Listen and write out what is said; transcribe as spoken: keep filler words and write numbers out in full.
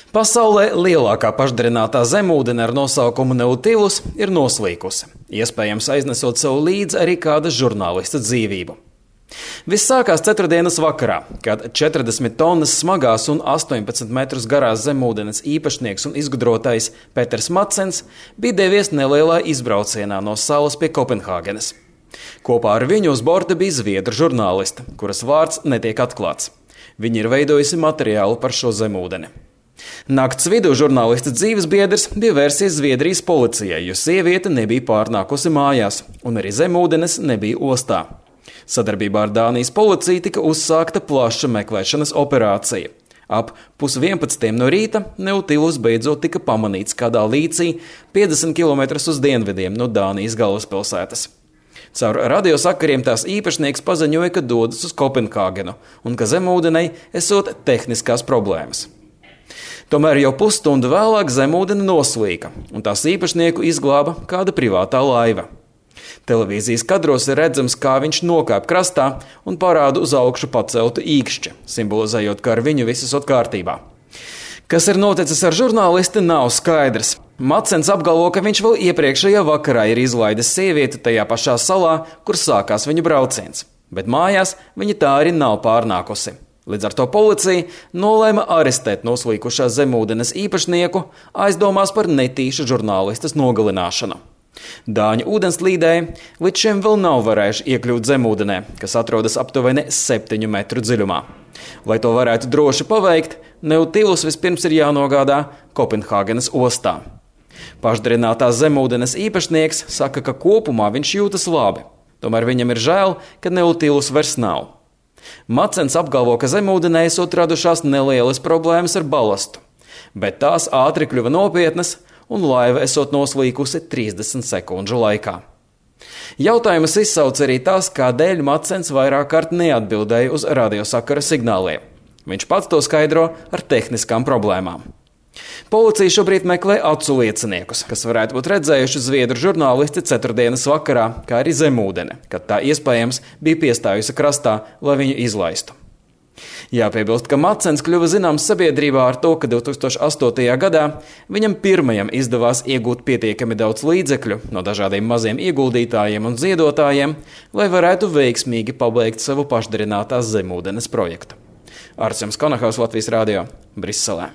Pasaulē lielākā pašdarinātā zemūdene ar nosaukumu Nautilus ir noslīkusi, iespējams aiznesot sev līdzi arī kāda žurnālista dzīvību. Viss sākās ceturtdienas vakarā, kad četrdesmit tonnas smagās un astoņpadsmit metrus garās zemūdens īpašnieks un izgudrotājs Peters Madsens bija devies nelielā izbraucienā no salas pie Kopenhāgenes. Kopā ar viņu uz borta bija zviedru žurnāliste, kuras vārds netiek atklāts. Viņa ir veidojusi materiālu par šo zemūdeni. Nakts vidū žurnālista dzīves biedrs bija vērsies Zviedrijas policijai, jo sieviete nebija pārnākusi mājās, un arī zemūdenes nebija ostā. Sadarbībā ar Dānijas policiju tika uzsākta plaša meklēšanas operācija. Ap pusvienpadsmitiem no rīta Nautilus beidzot tika pamanīts kādā līcī piecdesmit kilometrus uz dienvidiem no Dānijas galvaspilsētas. Caur radiosakariem tās īpašnieks paziņoja, ka dodas uz Kopenhāgenu un ka zemūdenei esot tehniskās problēmas. Tomēr jau pusstundu vēlāk zemūdene noslīka, un tās īpašnieku izglāba kāda privātā laiva. Televīzijas kadros ir redzams, kā viņš nokāp krastā un parāda uz augšu paceltu īkšķi, simbolizējot, ka ar viņu viss ir kārtībā. Kas ir noticis ar žurnālisti, nav skaidrs. Madsens apgalvo, ka viņš vēl iepriekšējā vakarā ir izlaidis sievieti tajā pašā salā, kur sākās viņa brauciens, bet mājās viņa tā arī nav pārnākusi. Līdz ar to policija nolēma arestēt noslīkušās zemūdenes īpašnieku, aizdomās par netīšu žurnālistas nogalināšanu. Dāņu ūdenslīdēji līdz šim vēl nav varējuši iekļūt zemūdenē, kas atrodas aptuveni septiņu metru dziļumā. Lai to varētu droši paveikt, Nautilus vispirms ir jānogādā Kopenhāgenes ostā. Pašdarinātās zemūdenes īpašnieks saka, ka kopumā viņš jūtas labi, tomēr viņam ir žēl, ka Nautilus vairs nav. Madsens apgalvo, ka zemūdenē esot radušās nelielas problēmas ar balastu, bet tās ātri kļuva nopietnas un laiva esot noslīkusi trīsdesmit sekundžu laikā. Jautājumus izsauc arī tas, kādēļ Madsens vairāk kārt neatbildēja uz radiosakara signāliem. Viņš pats to skaidro ar tehniskām problēmām. Policija šobrīd meklē acu lieciniekus, kas varētu būt redzējuši zviedru žurnālisti ceturtdienas vakarā, kā arī zemūdeni, kad tā iespējams bija piestājusi krastā, lai viņu izlaistu. Jāpiebilst, ka Madsens kļuva zināms sabiedrībā ar to, ka divi tūkstoši astotajā gadā viņam pirmajam izdevās iegūt pietiekami daudz līdzekļu no dažādiem maziem ieguldītājiem un ziedotājiem, lai varētu veiksmīgi pabeigt savu pašdarinātās zemūdenes projektu. Arčuns Konahaus, Latvijas radio, Briselē.